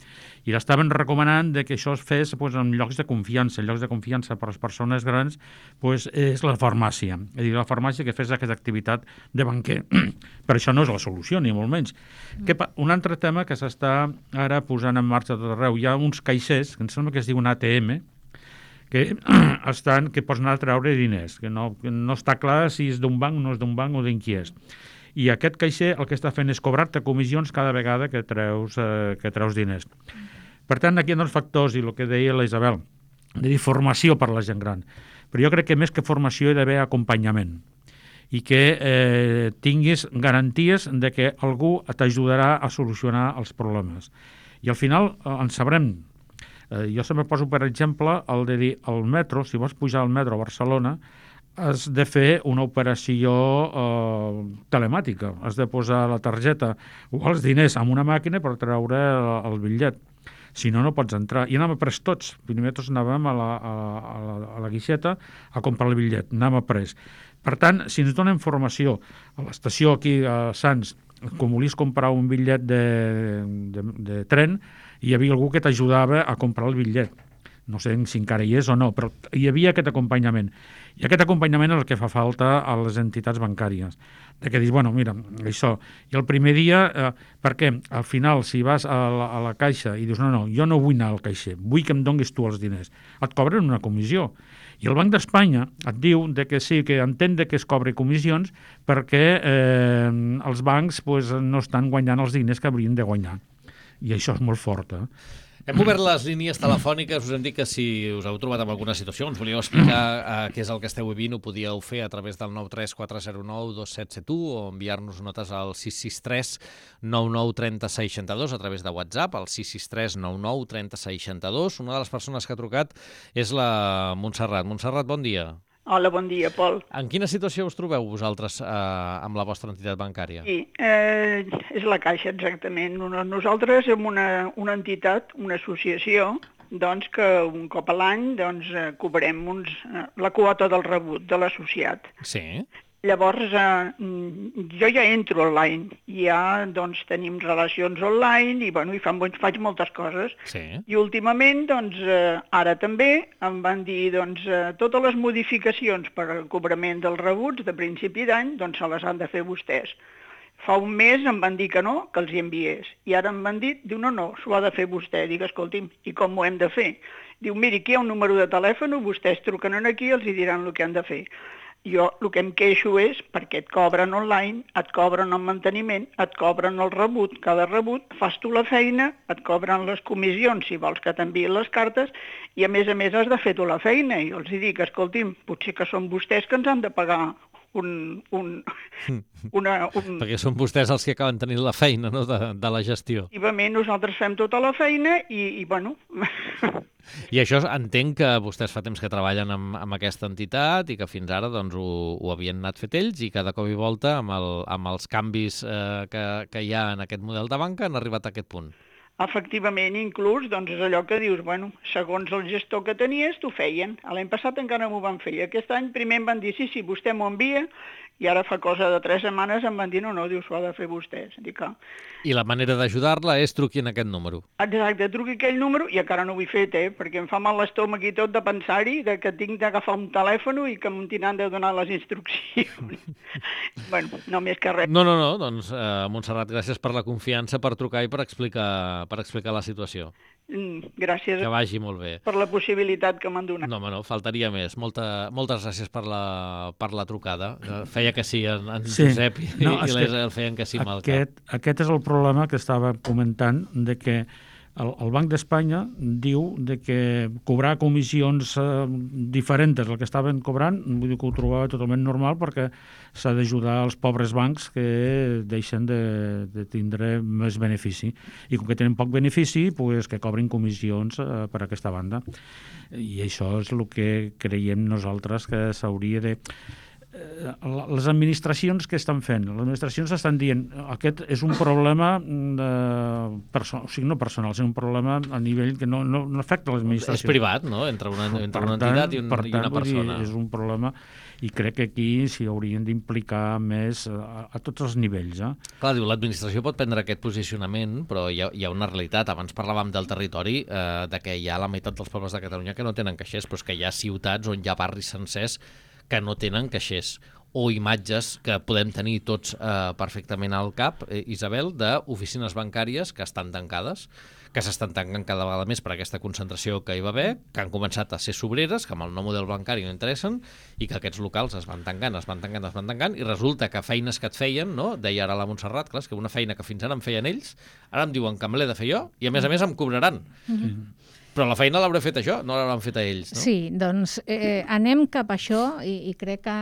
I l'estaven recomanant de que això es fes pues, en llocs de confiança. En llocs de confiança per a les persones grans pues, és la farmàcia. És a dir, la farmàcia que fes aquesta activitat de banquer. Però això no és la solució, ni molt menys. Mm. Que, un altre tema que s'està ara posant en marxa tot arreu. Hi ha uns caixers, que em sembla que es diuen A T M, que estan, que pots anar a treure diners, que no, que no està clar si és d'un banc o no és d'un banc o d'en qui és. I aquest caixer el que està fent és cobrar-te comissions cada vegada que treus, eh, que treus diners. Per tant, aquí hi ha dos factors, i el que deia la Isabel, de dir formació per a la gent gran. Però jo crec que més que formació hi ha d'haver acompanyament i que eh, tinguis garanties de que algú t'ajudarà a solucionar els problemes. I al final eh, en sabrem. Eh, jo sempre poso, per exemple, el de dir, al metro, si vols pujar al metro a Barcelona, has de fer una operació eh, telemàtica. Has de posar la targeta o els diners en una màquina per treure el, el bitllet. Si no, no pots entrar. I anàvem a pres tots. Primer tots anàvem a la, a, la, a la guixeta a comprar el bitllet. Anàvem a pres. Per tant, si ens donen informació a l'estació aquí a Sants, com volies comprar un bitllet de, de, de tren, hi havia algú que t'ajudava a comprar el bitllet. No sé si encara hi és o no, però hi havia aquest acompanyament. I aquest acompanyament és el que fa falta a les entitats bancàries. De que dius, bueno, mira, això. I el primer dia, eh, perquè al final, si vas a la, a la caixa i dius, no, no, jo no vull anar al caixer, vull que em donguis tu els diners, et cobren una comissió. I el Banc d'Espanya et diu de que sí, que entén de que es cobri comissions perquè eh, els bancs pues, no estan guanyant els diners que haurien de guanyar. I això és molt fort, eh? Hem obert les línies telefòniques, us hem dit que si us heu trobat en alguna situació, ens volíeu explicar eh, què és el que esteu vivint, ho podíeu fer a través del nou tres quatre zero nou dos set set u o enviar-nos notes al sis sis tres nou nou tres zero sis dos a través de WhatsApp, al sis sis tres nou nou tres zero sis dos. Una de les persones que ha trucat és la Montserrat. Montserrat, bon dia. Hola, bon dia, Pol. En quina situació us trobeu vosaltres eh, amb la vostra entitat bancària? Sí, eh, és la Caixa, exactament. Nosaltres som una, una entitat, una associació, doncs que un cop a l'any doncs, cobrem uns, eh, la quota del rebut de l'associat. Sí. Llavors, eh, jo ja entro online, ja doncs, tenim relacions online i, bueno, i fan, faig moltes coses. Sí. I últimament, doncs, eh, ara també em van dir doncs, eh, totes les modificacions per al cobrament dels rebuts de principi d'any doncs, se les han de fer vostès. Fa un mes em van dir que no, que els hi enviés. I ara em van dir, diu, no, no, s'ho ha de fer vostè. Dic, escolti'm, i com ho hem de fer? Diu, miri, aquí hi ha un número de telèfon, vostès truquen aquí i els hi diran el que han de fer. jo el que em queixo és perquè et cobren online, et cobren el manteniment, et cobren el rebut. Cada rebut fas tu la feina, et cobren les comissions si vols que t'enviïn les cartes i a més a més has de fer tu la feina. I jo els dic, escolti'm, potser que són vostès que ens han de pagar un... un, una, un... Perquè són vostès els que acaben tenint la feina, no?, de, de la gestió. Efectivament, nosaltres fem tota la feina i, i bueno... I això entenc que vostès fa temps que treballen amb, amb aquesta entitat i que fins ara doncs, ho, ho havien anat fet ells i cada cop i volta amb, el, amb els canvis eh, que, que hi ha en aquest model de banca han arribat a aquest punt. Efectivament, inclús, doncs és allò que dius, bueno, segons el gestor que tenies, t'ho feien. L'any passat encara m'ho van fer. I aquest any primer em van dir, sí, sí, vostè m'ho envia, i ara fa cosa de tres setmanes em van dir, no, no, dius, ho ha de fer vostès. Dic, ah. I la manera d'ajudar-la és truqui en aquest número. Exacte, truqui aquell número, i encara no ho he fet, eh, perquè em fa mal l'estómac i tot de pensar-hi, de que tinc d'agafar un telèfon i que em tindran de donar les instruccions. Bueno, no més que res. No, no, no, doncs, eh, Montserrat, gràcies per la confiança, per trucar i per explicar, per explicar la situació. Mm, gràcies que vagi molt bé. Per la possibilitat que m'han donat. No, home, no, faltaria més. Molta, moltes gràcies per la, per la trucada. Feia que sí, en, en sí. Josep i, no, i l'Esel feien que sí amb el aquest, cap. Aquest és el problema que estava comentant, de que el, el Banc d'Espanya diu de que cobrar comissions eh, diferents del que estaven cobrant, vull dir que ho trobava totalment normal perquè s'ha d'ajudar els pobres bancs que deixen de, de tindre més benefici. I com que tenen poc benefici, pues, que cobrin comissions eh, per aquesta banda. I això és el que creiem nosaltres que s'hauria de... Les administracions que estan fent? Les administracions estan dient aquest és un problema de perso- o sigui, no personal, és un problema a nivell que no, no, no afecta l'administració. És privat, no?, entre una, entre una entitat i, un, tant, i una persona. Dir, és un problema i crec que aquí s'hi haurien d'implicar més a, a tots els nivells. Eh? Clar, diu, l'administració pot prendre aquest posicionament, però hi ha, hi ha una realitat. Abans parlàvem del territori, eh, de que hi ha la meitat dels pobles de Catalunya que no tenen caixers, però és que hi ha ciutats on hi ha barris sencers que no tenen caixers, o imatges que podem tenir tots eh, perfectament al cap, eh, Isabel, d'oficines bancàries que estan tancades, que s'estan tancant cada vegada més per aquesta concentració que hi va haver, que han començat a ser sobreres, que amb el nou model bancari no interessen, i que aquests locals es van tancant, es van tancant, es van tancant, i resulta que feines que et feien, no? Deia ara la Montserrat, clar, és que una feina que fins ara em feien ells, ara em diuen que me l'he de fer jo, i a més a més em cobraran. Mm-hmm. Però la feina l'hauré fet jo, no l'hauran fet a ells, no? Sí, doncs eh, anem cap a això i, i crec que,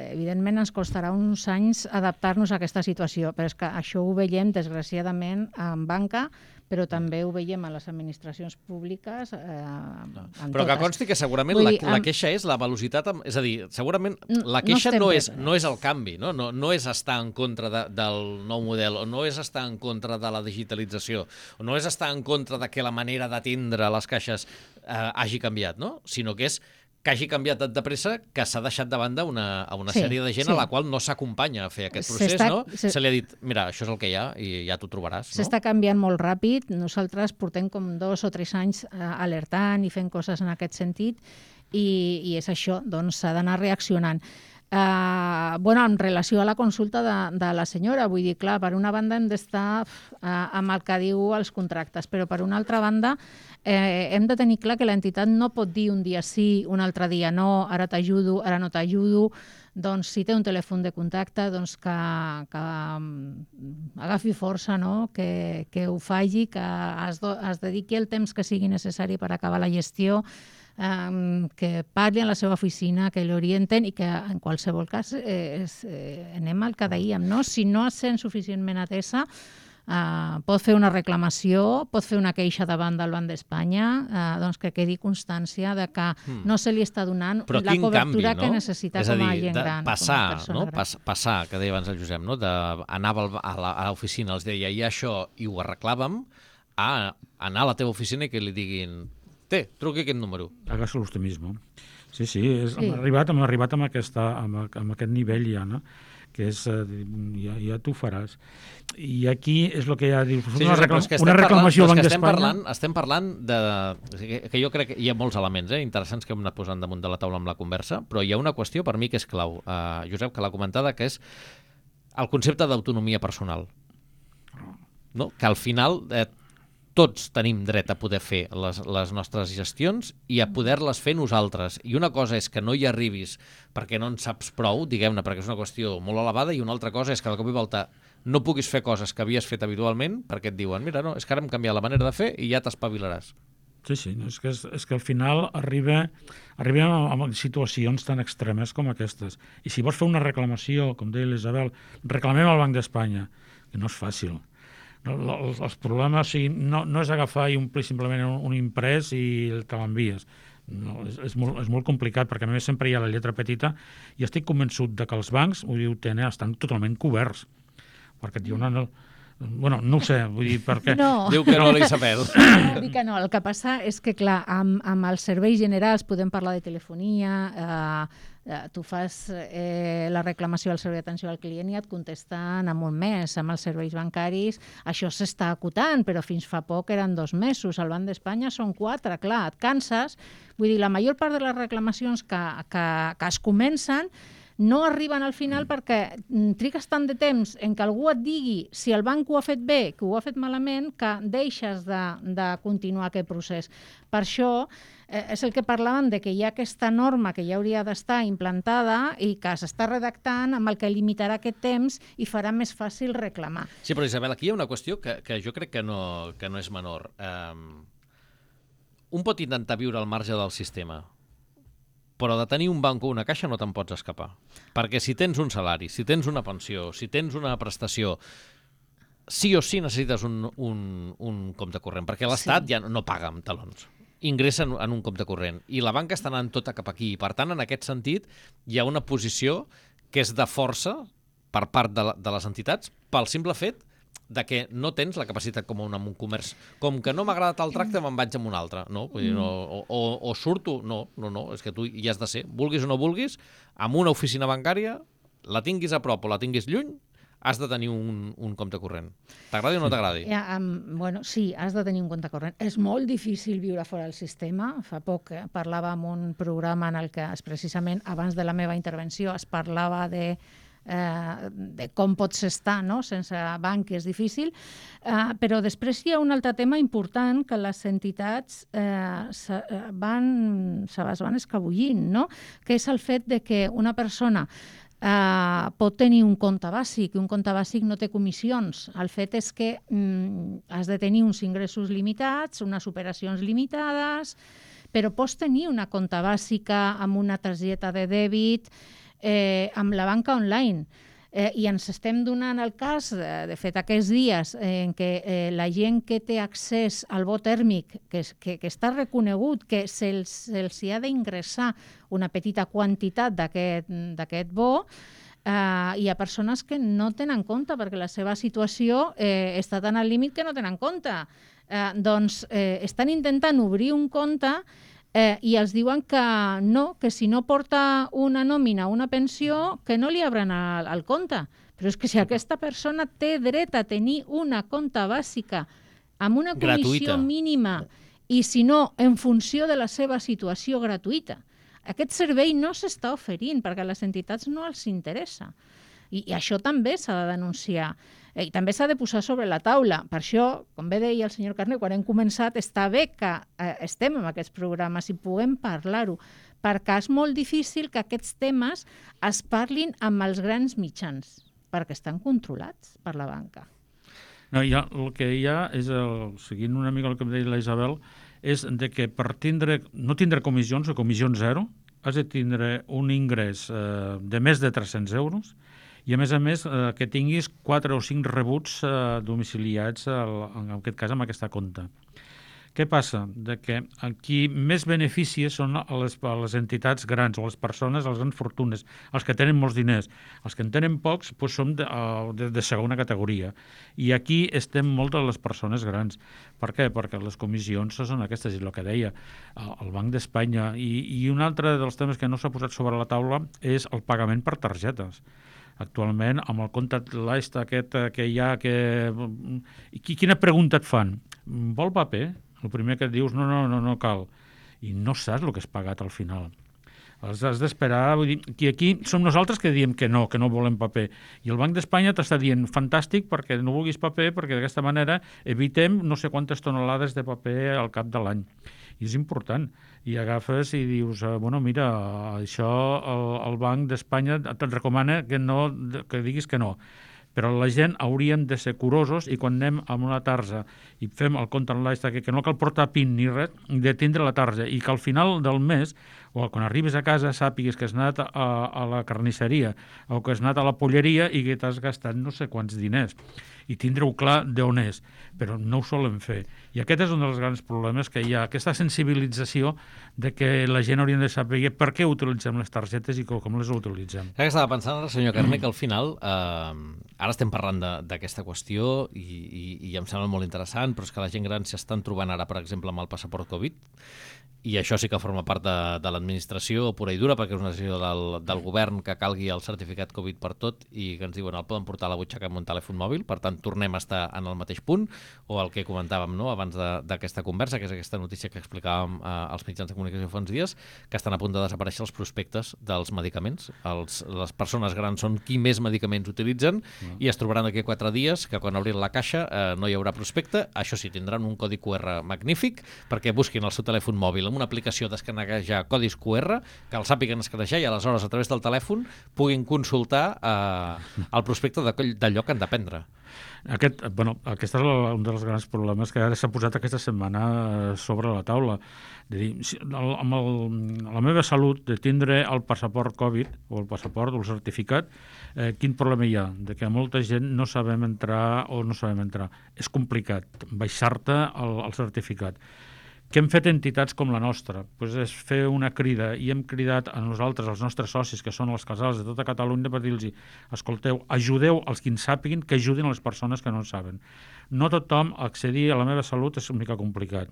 evidentment, ens costarà uns anys adaptar-nos a aquesta situació, però és que això ho veiem, desgraciadament, en banca, però també ho veiem a les administracions públiques. Eh, no. Però que consti que segurament dir, la, la queixa és la velocitat, amb, és a dir, segurament la queixa no, no, és, no és el canvi, no, no, no és estar en contra de, del nou model, o no és estar en contra de la digitalització, o no és estar en contra de que la manera d'atendre les caixes eh, hagi canviat, no? Sinó que és que hagi canviat tant de pressa que s'ha deixat de banda una, a una sí, sèrie de gent sí. a la qual no s'acompanya a fer aquest procés, no? Se... se li ha dit, mira, això és el que hi ha i ja t'ho trobaràs. S'està no? canviant molt ràpid. Nosaltres portem com dos o tres anys eh, alertant i fent coses en aquest sentit i, i és això, doncs s'ha d'anar reaccionant. Uh, bueno, en relació a la consulta de, de la senyora, vull dir, clar, per una banda hem d'estar uh, amb el que diu els contractes, però per una altra banda eh, hem de tenir clar que l'entitat no pot dir un dia sí, un altre dia no, ara t'ajudo, ara no t'ajudo. Doncs si té un telèfon de contacte, doncs que, que um, agafi força, no? que, que ho faci, que es, do, es dediqui el temps que sigui necessari per acabar la gestió, Um, que parli a la seva oficina, que l'orienten i que en qualsevol cas eh, és, eh, anem al que dèiem, no? Si no es sent suficientment atesa, uh, pot fer una reclamació, pot fer una queixa davant del Banc d'Espanya, uh, doncs que quedi constància de que mm. no se li està donant Però la cobertura canvi, no? que necessita és a dir, com a gent gran. Passar, no? Pas, passar, que deia abans el Josep, no? De, anava a l'oficina, els deia, hi ha això, i ho arreglàvem, a anar a la teva oficina i que li diguin té, truqui aquest número. Hágaselo usted mismo. Sí, sí, és, sí. Hem, arribat, hem arribat amb, aquesta, amb, amb aquest nivell ja, no? Que és, ja, ja tu faràs. I aquí és el que ja dius, sí, una, reclam, que una reclamació al Banc d'Espanya. Parlant, estem parlant de... Que, que jo crec que hi ha molts elements eh, interessants que hem anat posant damunt de la taula amb la conversa, però hi ha una qüestió per mi que és clau, uh, Josep, que l'ha comentada, que és el concepte d'autonomia personal. No? Que al final... Eh, tots tenim dret a poder fer les, les nostres gestions i a poder-les fer nosaltres. I una cosa és que no hi arribis perquè no en saps prou, diguem-ne, perquè és una qüestió molt elevada, i una altra cosa és que de cop i volta no puguis fer coses que havies fet habitualment perquè et diuen, mira, no, és que ara hem canviat la manera de fer i ja t'espavilaràs. Sí, sí, no, és, que, és, és que al final arriba, arriba a, a situacions tan extremes com aquestes. I si vols fer una reclamació, com deia l'Isabel, reclamem al Banc d'Espanya, que no és fàcil. No, els, els problemes, o sigui, no, no és agafar i omplir simplement un, un imprès i te l'envies. No, és, és, molt, és molt complicat, perquè a més sempre hi ha la lletra petita, i estic convençut de que els bancs ho diu, tenen, estan totalment coberts. Perquè et diu, no, no, bueno, no ho sé, vull dir, perquè... No. Diu que no, l'Isabel. Dic que no, el que passa és que, clar, amb, amb els serveis generals podem parlar de telefonia, eh, eh, tu fas eh, la reclamació al servei d'atenció al client i et contesten en un mes. Amb els serveis bancaris això s'està acotant, però fins fa poc eren dos mesos. Al Banc d'Espanya són quatre, clar, et canses. Vull dir, la major part de les reclamacions que, que, que es comencen no arriben al final perquè trigues tant de temps en que algú et digui si el banc ho ha fet bé, que ho ha fet malament, que deixes de, de continuar aquest procés. Per això eh, és el que parlàvem de que hi ha aquesta norma que ja hauria d'estar implantada i que s'està redactant amb el que limitarà aquest temps i farà més fàcil reclamar. Sí, però Isabel, aquí hi ha una qüestió que, que jo crec que no, que no és menor. Um, un pot intentar viure al marge del sistema, però de tenir un banc o una caixa no te'n pots escapar. Perquè si tens un salari, si tens una pensió, si tens una prestació, sí o sí necessites un, un, un compte corrent, perquè l'Estat sí. ja no paga amb talons. Ingressa en, en un compte corrent. I la banca està anant tota cap aquí. I, per tant, en aquest sentit, hi ha una posició que és de força per part de, la, de les entitats pel simple fet de que no tens la capacitat com un, un comerç. Com que no m'ha agradat el tracte, me'n vaig amb un altre. No? Vull dir, no, o, o, o surto, no, no, no, és que tu hi has de ser. Vulguis o no vulguis, amb una oficina bancària, la tinguis a prop o la tinguis lluny, has de tenir un, un compte corrent. T'agradi o no t'agradi? Ja, um, bueno, sí, has de tenir un compte corrent. És molt difícil viure fora del sistema. Fa poc eh, parlava en un programa en el que, precisament, abans de la meva intervenció, es parlava de Eh, de com pots estar no? sense banc, és difícil, eh, però després hi ha un altre tema important que les entitats eh, se, van, se les van escabullint, no? Que és el fet de que una persona eh, pot tenir un compte bàsic, i un compte bàsic no té comissions. El fet és que mm, has de tenir uns ingressos limitats, unes operacions limitades, però pots tenir una compte bàsica amb una targeta de dèbit, Eh, amb la banca online. Eh, I ens estem donant el cas, eh, de fet, aquests dies, eh, en què eh, la gent que té accés al bo tèrmic, que, que, que està reconegut que se'ls se hi ha d'ingressar una petita quantitat d'aquest bo, eh, hi ha persones que no tenen compte perquè la seva situació eh, està tan al límit que no tenen compte. Eh, doncs eh, estan intentant obrir un compte Eh, i els diuen que no, que si no porta una nòmina o una pensió, que no li obren el, el compte. Però és que si aquesta persona té dret a tenir una compte bàsica amb una comissió gratuïta mínima i, si no, en funció de la seva situació gratuïta, aquest servei no s'està oferint perquè a les entitats no els interessa. I, i això també s'ha de denunciar. I també s'ha de posar sobre la taula. Per això, com bé deia el senyor Carner, quan hem començat, està bé que eh, estem en aquests programes i puguem parlar-ho, perquè és molt difícil que aquests temes es parlin amb els grans mitjans, perquè estan controlats per la banca. No, ja, el que hi ha és, el, seguint una mica el que em deia la Isabel, és de que per tindre, no tindre comissions o comissions zero, has de tindre un ingrés eh, de més de tres-cents euros, i a més a més eh, que tinguis quatre o cinc rebuts eh, domiciliats, el, en aquest cas amb aquesta compte. Què passa? De que aquí més beneficis són a les, a les entitats grans o les persones, les grans fortunes, els que tenen molts diners. Els que en tenen pocs doncs som de, de, de segona categoria. I aquí estem molt de les persones grans. Per què? Perquè les comissions són aquestes, i el que deia el Banc d'Espanya. I, I un altre dels temes que no s'ha posat sobre la taula és el pagament per targetes. Actualment, amb el compte l'est aquest que hi ha, que... quina pregunta et fan? Vol paper? El primer que et dius, no, no, no, no cal. I no saps el que has pagat al final. Has, has d'esperar, vull dir, que aquí som nosaltres que diem que no, que no volem paper. I el Banc d'Espanya t'està dient fantàstic perquè no vulguis paper, perquè d'aquesta manera evitem no sé quantes tonelades de paper al cap de l'any. I és important. I agafes i dius, bueno, mira, això el, el Banc d'Espanya et recomana que, no, que diguis que no. Però la gent hauríem de ser curosos i quan anem amb una tarja i fem el compte online, que, que no cal portar PIN ni res, de tindre la tarja i que al final del mes o quan arribis a casa sàpigues que has anat a, a la carnisseria o que has anat a la polleria i que t'has gastat no sé quants diners i tindre-ho clar d'on és, però no ho solen fer. I aquest és un dels grans problemes que hi ha, aquesta sensibilització de que la gent hauria de saber per què utilitzem les targetes i com les utilitzem. Ja que estava pensant, senyor Carné, que al final, eh, ara estem parlant d'aquesta qüestió i, i, i em sembla molt interessant, però és que la gent gran s'estan trobant ara, per exemple, amb el passaport Covid, i això sí que forma part de, de l'administració pura i dura, perquè és una decisió del, del govern que calgui el certificat Covid per tot i que ens diuen el poden portar a la butxaca amb un telèfon mòbil, per tant tornem a estar en el mateix punt, o el que comentàvem, no?, abans d'aquesta conversa, que és aquesta notícia que explicàvem eh, als mitjans de comunicació fa uns dies, que estan a punt de desaparèixer els prospectes dels medicaments. Els, les persones grans són qui més medicaments utilitzen mm. i es trobaran d'aquí a quatre dies que quan obrin la caixa eh, no hi haurà prospecte. Això sí, tindran un codi Q R magnífic perquè busquin el seu telèfon mòbil amb una aplicació d'escanejar codis Q R, que els sàpiguen escanejar i aleshores a través del telèfon puguin consultar eh, el prospecte d'allò que han de prendre. Aquest, bueno, aquest és un dels grans problemes que ara s'ha posat aquesta setmana sobre la taula. De dir, si, el, amb el, la meva salut, de tindre el passaport Covid o el passaport o el certificat, eh, quin problema hi ha? De que molta gent no sabem entrar o no sabem entrar. És complicat baixar-te el, el certificat. Què hem fet entitats com la nostra? Pues és fer una crida i hem cridat a nosaltres, als nostres socis, que són els casals de tota Catalunya, per dir-los, escolteu, ajudeu els que en sàpiguin, que ajudin a les persones que no en saben. No tothom accedir a la meva salut és una mica complicat.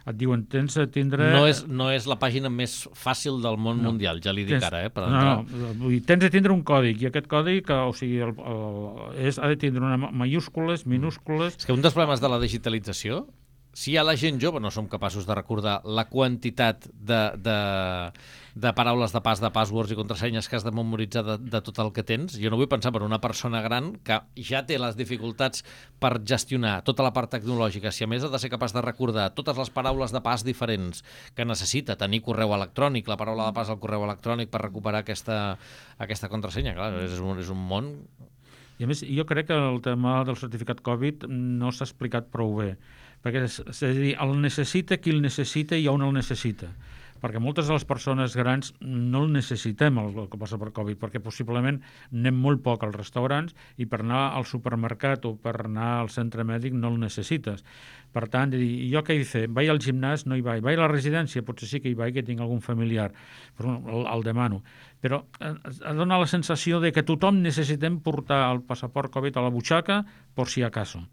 Et diuen, tens de tindre... No és, no és la pàgina més fàcil del món no. mundial, ja li dic tens... ara, eh, per entrar. No, no, tens de tindre un còdic, i aquest còdic, o sigui, el, el, és, ha de tindre una mayúscules, minúscules... És que un dels problemes de la digitalització, si hi ha la gent jove no som capaços de recordar la quantitat de, de, de paraules de pas, de passwords i contrasenyes que has de memoritzar de, de tot el que tens, jo no vull pensar per una persona gran que ja té les dificultats per gestionar tota la part tecnològica, si a més ha de ser capaç de recordar totes les paraules de pas diferents que necessita, tenir correu electrònic, la paraula de pas al correu electrònic per recuperar aquesta, aquesta contrasenya, clar, és un, és un món... I a més, jo crec que el tema del certificat Covid no s'ha explicat prou bé, perquè és, és a dir, el necessita qui el necessita i on el necessita, perquè moltes de les persones grans no el necessitem, el, el que passa per Covid, perquè possiblement anem molt poc als restaurants i per anar al supermercat o per anar al centre mèdic no el necessites. Per tant, jo què he de fer? Vaig al gimnàs? No hi vaig. Vaig a la residència? Potser sí que hi vaig, que tinc algun familiar, però el, el demano. Però ha donat la sensació de que tothom necessitem portar el passaport Covid a la butxaca per si acaso.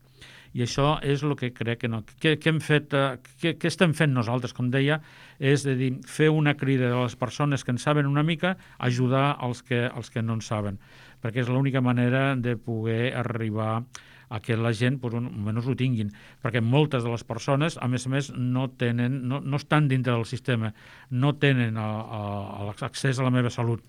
I això és el que crec que no. Què, què, hem fet, eh, què, què estem fent nosaltres? Com deia, és de dir, fer una crida de les persones que en saben una mica, ajudar els que, els que no en saben, perquè és l'única manera de poder arribar a que la gent pues, almenys ho tinguin, perquè moltes de les persones, a més a més, no, tenen, no, no estan dintre del sistema, no tenen l'accés a la meva salut.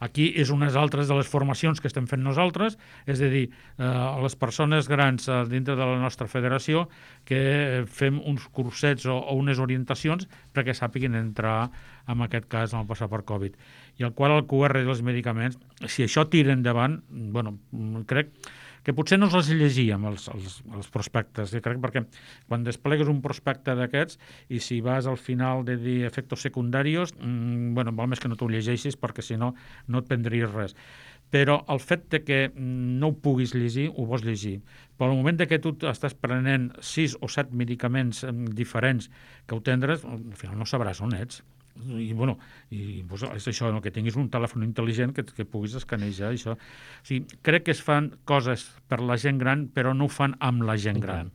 Aquí és unes altres de les formacions que estem fent nosaltres, és a dir, eh, a les persones grans eh, dintre de la nostra federació que fem uns cursets o, o unes orientacions perquè sàpiguen entrar, en aquest cas, en el passaport Covid. I el qual el Q R dels medicaments, si això tira endavant, bueno, crec que potser no els llegíem, els, els, els prospectes, crec, perquè quan desplegues un prospecte d'aquests i si vas al final de dir efectes secundaris, mmm, bueno, val més que no t'ho llegeixis perquè si no, no et prendries res. Però el fet de que no ho puguis llegir, ho vols llegir. Però al moment de que tu estàs prenent sis o set medicaments diferents que ho tindràs, al final no sabràs on ets. I, bueno, i pues, és això, no? Que tinguis un telèfon intel·ligent que, que puguis escanejar això. O sigui, crec que es fan coses per la gent gran, però no ho fan amb la gent gran.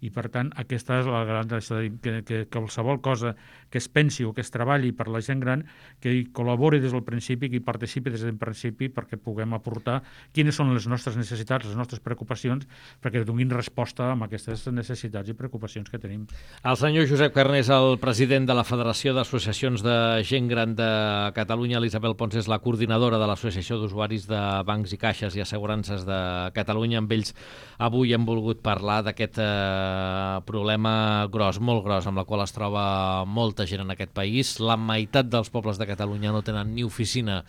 I per tant, aquesta és la gran... Que, que, que qualsevol cosa que es pensi o que es treballi per la gent gran, que hi col·labori des del principi, que hi participi des del principi perquè puguem aportar quines són les nostres necessitats, les nostres preocupacions, perquè donin resposta a aquestes necessitats i preocupacions que tenim. El senyor Josep Carner és el president de la Federació d'Associacions de Gent Gran de Catalunya. L'Isabel Pons és la coordinadora de l'Associació d'Usuaris de Bancs i Caixes i Assegurances de Catalunya. Amb ells avui hem volgut parlar d'aquest eh, problema gros, molt gros, amb la qual es troba molta gent en aquest país. La meitat dels pobles de Catalunya no tenen ni oficina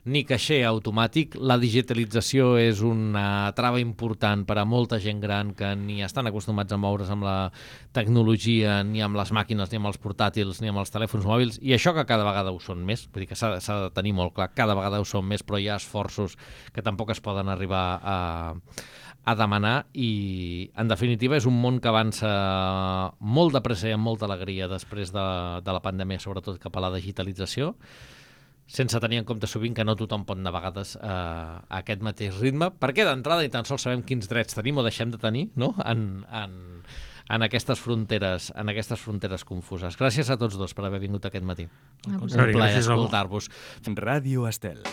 ni caixer automàtic. La digitalització és una trava important per a molta gent gran que ni estan acostumats a moure's amb la tecnologia, ni amb les màquines, ni amb els portàtils, ni amb els telèfons mòbils, i això que cada vegada ho són més, vull dir que s'ha de tenir molt clar, cada vegada ho són més, però hi ha esforços que tampoc es poden arribar a, a demanar, i en definitiva és un món que avança molt de pressa i amb molta alegria després de, de la pandèmia, sobretot cap a la digitalització, sense tenir en compte sovint que no tothom pot anar a vegades eh, a aquest mateix ritme, perquè d'entrada ni tan sols sabem quins drets tenim o deixem de tenir, no?, en, en, en aquestes fronteres, en aquestes fronteres confuses. Gràcies a tots dos per haver vingut aquest matí. A Un plaer escoltar-vos. Ràdio Estel.